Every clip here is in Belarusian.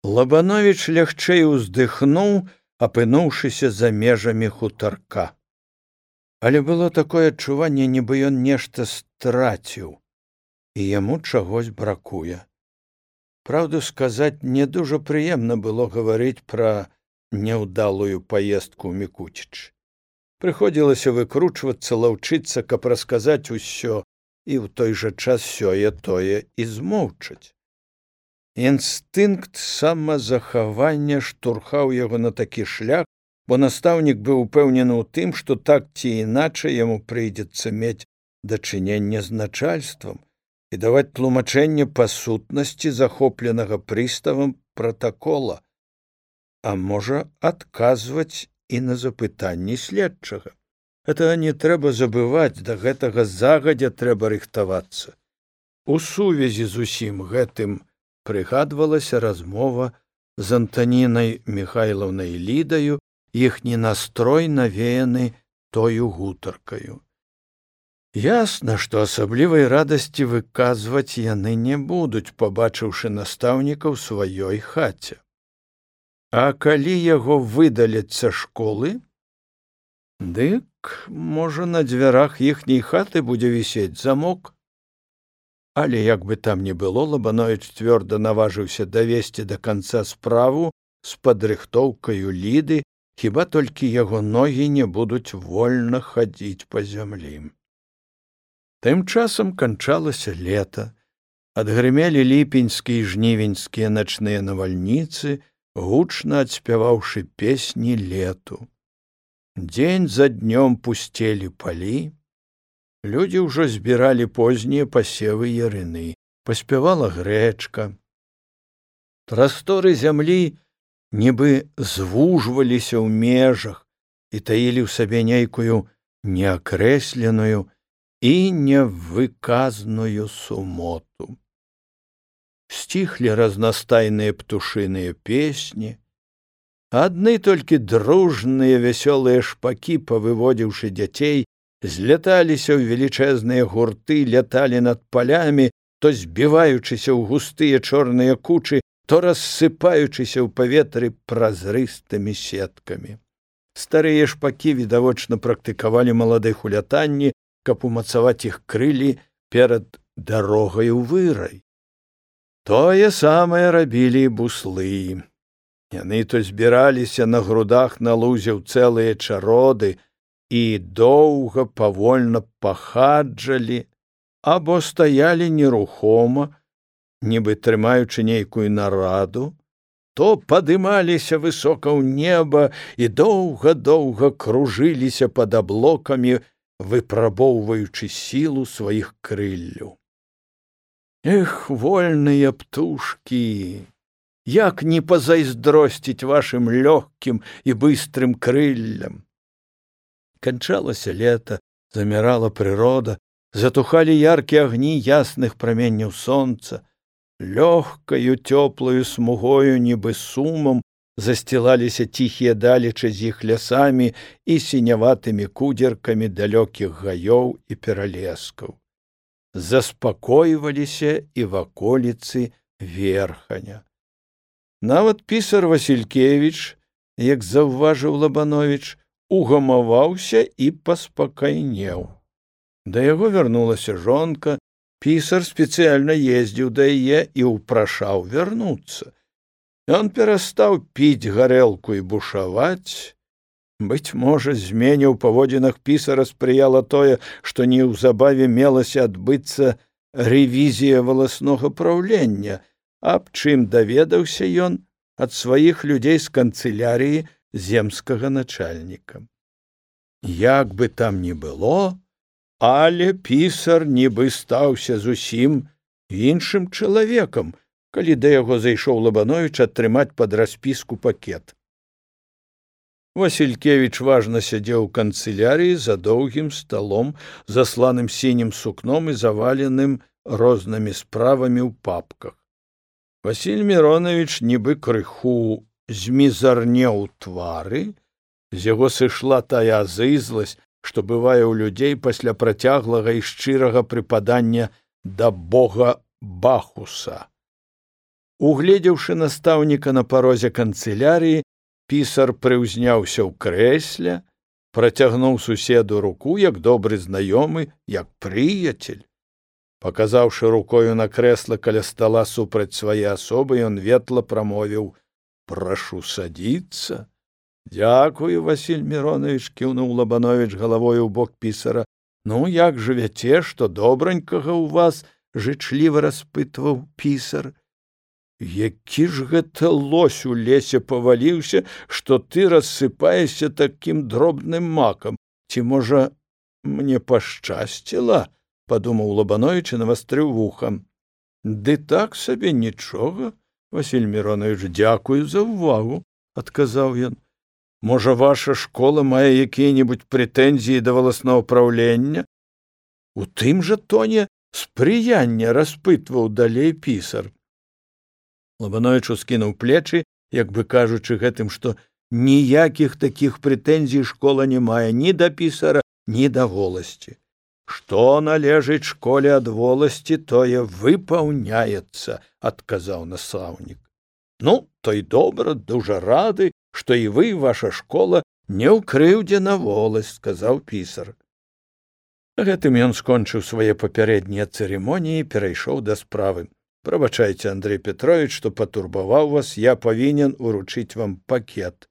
Лабановіч лягчэй уздыхнуў, апынуўшыся за межамі хутарка. Але было такое адчуванне, нібы ён нешта страціў, і яму чагось бракуе. Праўду сказаць, не дужа прыемна было гаварыць пра няўдалую паездку ў Мікуціч. Прыходзілася выкручвацца, лаўчыцца, каб расказаць усё, і ў той жа час сёе-тое і змоўчаць. Інстынкт самазахавання штурхаў яго на такі шлях, бо настаўнік быў упэўнены ў тым, што так ці іначай яму прыйдзецца мець дачыненне з начальствам і даваць тлумачэнне па сутнасці захопленага прыставам пратакола, а можа, адказваць і на запытанні следчага. Гэтага не трэба забываць, да гэтага загадзя трэба рыхтавацца. У сувязі з усім гэтым прыгадвалася размова з Антанінай Міхайлаўнай Лідаю, іхні настрой навеяны тою гутаркаю. Ясна, што асаблівай радасці выказваць яны не будуць, пабачыўшы настаўніка ў сваёй хаце. А калі яго выдаляць са школы, дык, можа, на дзвярах іхняй хаты будзе вісець замок. Але як бы там ні было, Лабановіч цвёрда наважыўся давесці да канца справу з падрыхтоўкаю Ліды, хіба толькі яго ногі не будуць вольна хадзіць па зямлі. Тым часам канчалася лета, адгрымелі ліпеньскія і жнівеньскія начныя навальніцы, гучна адспяваўшы песні лету. Дзень за днём пусцелі палі, людзі ўжо збіралі познія пасевы ярыны, паспявала грэчка. Прасторы зямлі нібы звужваліся ў межах і таілі ў сабе нейкую неакрэсленую і невыказную сумоту. Сціхлі разнастайныя птушыныя песні, адны толькі дружныя вясёлыя шпакі, павыводзіўшы дзяцей, зляталіся ў велічэзныя гурты, ляталі над палямі, то збіваючыся ў густыя чорныя кучы, то рассыпаючыся ў паветры празрыстымі сеткамі. Старыя шпакі відавочна практыкавалі маладых у лятанні, каб умацаваць іх крылі перад дарогай у вырай. Тое самае рабілі і буслы. Яны то збіраліся на грудах на лузе ў цэлыя чароды і доўга павольна пахаджалі або стаялі нерухома, нібы трымаючы нейкую нараду, то падымаліся высока ў неба і доўга-доўга кружыліся пад аблокамі, выпрабоўваючы сілу сваіх крылляў. Эх, вольныя птушкі! Як не пазайздросціць вашым лёгкім і быстрым крыллям! Канчалася лета, замірала прырода, затухалі яркія агні ясных праменняў сонца, лёгкаю цёплаю смугою, нібы сумам, засцілаліся ціхія далечы з іх лясамі і сіняватымі кудзеркамі далёкіх гаёў і пералескаў. Заспакойваліся і ваколіцы Верханя. Нават пісар Васількевіч, як заўважыў Лабановіч, угамаваўся і паспакайнеў. Да яго вярнулася жонка, пісар спецыяльна ездзіў да яе і ўпрашаў вярнуцца. Ён перастаў піць гарэлку і бушаваць. Быць можа, змене ў паводзінах пісара спрыяла тое, што неўзабаве мелася адбыцца рэвізія валаснога праўлення, аб чым даведаўся ён ад сваіх людзей з канцылярыі земскага начальніка. Як бы там ні было, але пісар нібы стаўся зусім іншым чалавекам, калі да яго зайшоў Лабановіч атрымаць пад распіску пакет. Васількевіч важна сядзеў у канцылярыі за доўгім сталом, засланым сінім сукном і заваленым рознымі справамі ў папках. Васіль Міронович нібы крыху змізарнеў твары, з яго сышла тая азызласць, што бывае ў людзей пасля працяглага і шчырага прыпадання да бога Бахуса. Угледзеўшы настаўніка на парозе канцылярыі, пісар прыўзняўся ў крэсле, працягнуў суседу руку, як добры знаёмы, як прыяцель. Паказаўшы рукою на крэсла каля стала супраць свае асобы, ён ветла прамовіў: «Прашу садіцца». «Дзякую, Васіль Міронович», — кіўнуў Лабанович галавой у бок пісара. «Ну, як жывяце, што добранькага ў вас?» — жычліва распытваў пісар. «Які ж гэта лось у лесе паваліўся, што ты рассыпаешся такім дробным макам? Ці, можа, мне пашчасціла?» — падумаў Лабанович і навастрыў вухам. «Ды так сабе нічога, Васіль Міронович, дзякую за ўвагу», — адказаў ён. «Можа, ваша школа мае якія-небудзь прэтэнзіі да валаснога праўлення?» У тым жа тоне спрыяння распытваў далей пісар. Лабанович ускінуў плечы, як бы кажучы гэтым, што ніякіх такіх прэтэнзій школа не мае ні да пісара, ні да воласці. «Што належыць школе ад воласці, тое выпаўняецца», — адказаў настаўнік. «Ну, то й добра, дужа рады, што і вы, ваша школа, не ў крыўдзе на воласць», — сказаў пісар. Гэтым ён скончыў свае папярэднія цырымоніі і перайшоў да справы. «Прабачайце, Андрей Петрович, што патурбаваў вас, я павінен уручыць вам пакет,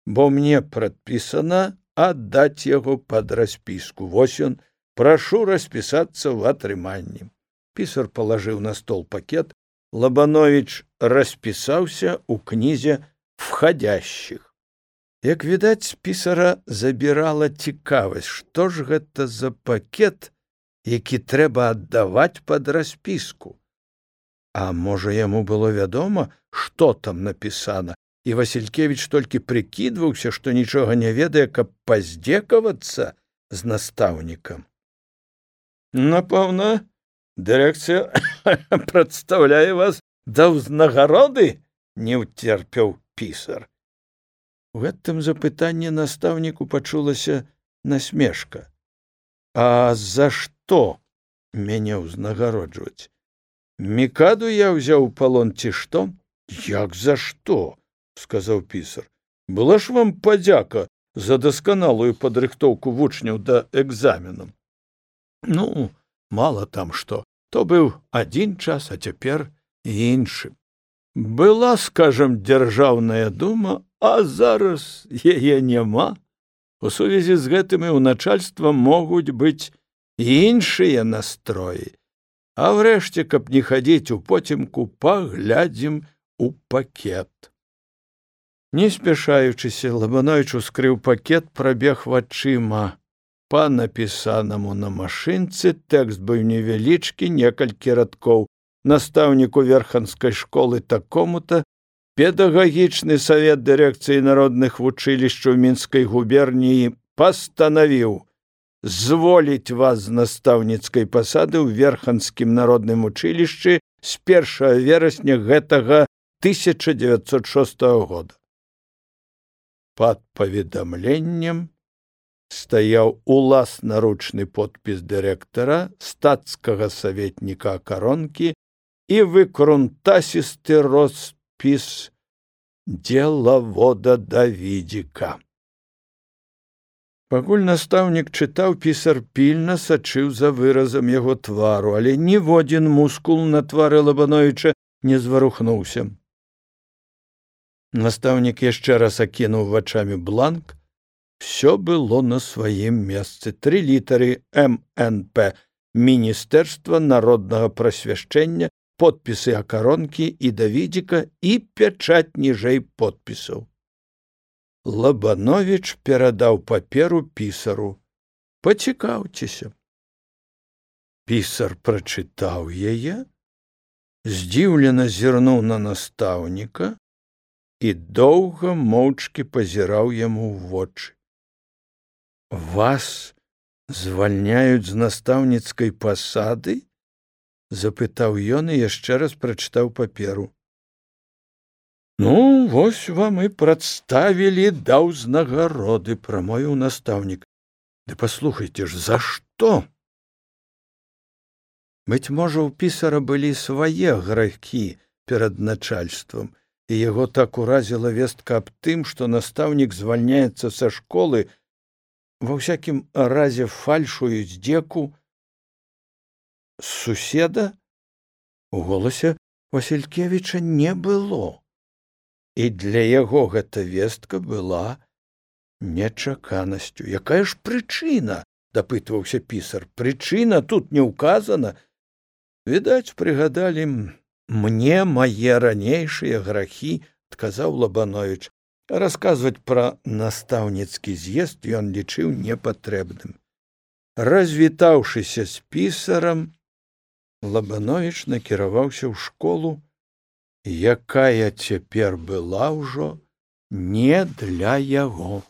бо мне прадпісана аддаць яго пад распіску. Вось ён, прашу распісацца ў атрыманні». Пісар палажыў на стол пакет. Лабанович распісаўся ў кнізе «Входящих». Як відаць, пісара забірала цікавасць, што ж гэта за пакет, які трэба аддаваць пад распіску. А можа, яму было вядома, што там напісана, і Васількевіч толькі прыкідваўся, што нічога не ведае, каб паздзекавацца з настаўнікам. «Напэўна, дырэкцыя прадстаўляе вас да ўзнагароды?» — не ўцерпеў пісар. У гэтым запытанні настаўніку пачулася насмешка. «А за што мяне ўзнагароджваць? Мікаду я ўзяў у палон ці што?» «Як за што?» — сказаў пісар. «Была ж вам падзяка за дасканалую падрыхтоўку вучняў да экзаменам». «Ну, мала там што. То быў адзін час, а цяпер іншы. Была, скажам, дзяржаўная дума, а зараз яе няма. У сувязі з гэтым і ў начальства могуць быць іншыя настроі. А врэшце, каб не хадзіць у потемку, паглядзім у пакет». Не спяшаючыся, Лабанович ускрыў пакет, прабег вачыма па напісанаму на машынцы. Тэкст быў невялічкі, некалькі радкоў. «Настаўніку верханскай школы такому-то, педагагічны савет дырэкцыі народных вучылішчаў Мінскай губерніі пастанавіў зволіць вас з настаўніцкай пасады ў верханскім народным вучылішчы з 1 верасня гэтага 1906 года. Пад паведамленнем стаяў уласнаручны подпіс дырэктара, стацкага саветніка Акаронкі і выкрунтасісты роспіс дзелавода Давідзіка. Пакуль настаўнік чытаў, пісар пільна сачыў за выразам яго твару, але ніводзін мускул на твары Лабановича не зварухнуўся. Настаўнік яшчэ раз акінуў вачамі бланк. Всё было на сваім месцы. 3 літары МНП Міністэрства народнага прасвяшчэння, подпісы Акаронкі і Давідзіка і пячаць ніжэй подпісаў. Лабанович перадаў паперу пісару. «Пацікаўцеся». Пісар прачытаў яе, здзіўлена зірнуў на настаўніка і доўга моўчкі пазіраў яму ў вочы. «Вас звальняюць з настаўніцкай пасады?» — запытаў ён і яшчэ раз прачытаў паперу. «Ну, вось вам і прадставілі да ўзнагароды», — прамовіў настаўнік. «Ды паслухайце ж, за што?» Быць можа, у пісара былі свае грахі, перад начальствам, і яго так уразіла вестка аб тым, што настаўнік звальняецца са школы, ва ўсякім разе фальшую здзеку з суседа, у голасе Васількевіча не было. І для яго гэта вестка была нечаканасцю. Якая ж прычына? Дапытваўся пісар. Прычына тут не ўказана. Відаць, прыгадалі мне мае ранейшыя грахі, адказаў Лабановіч. Расказваць пра настаўніцкі з'езд ён лічыў непатрэбным. Развітаўшыся з пісарам, Лабановіч накіраваўся ў школу, якая цяпер была ўжо не для яго.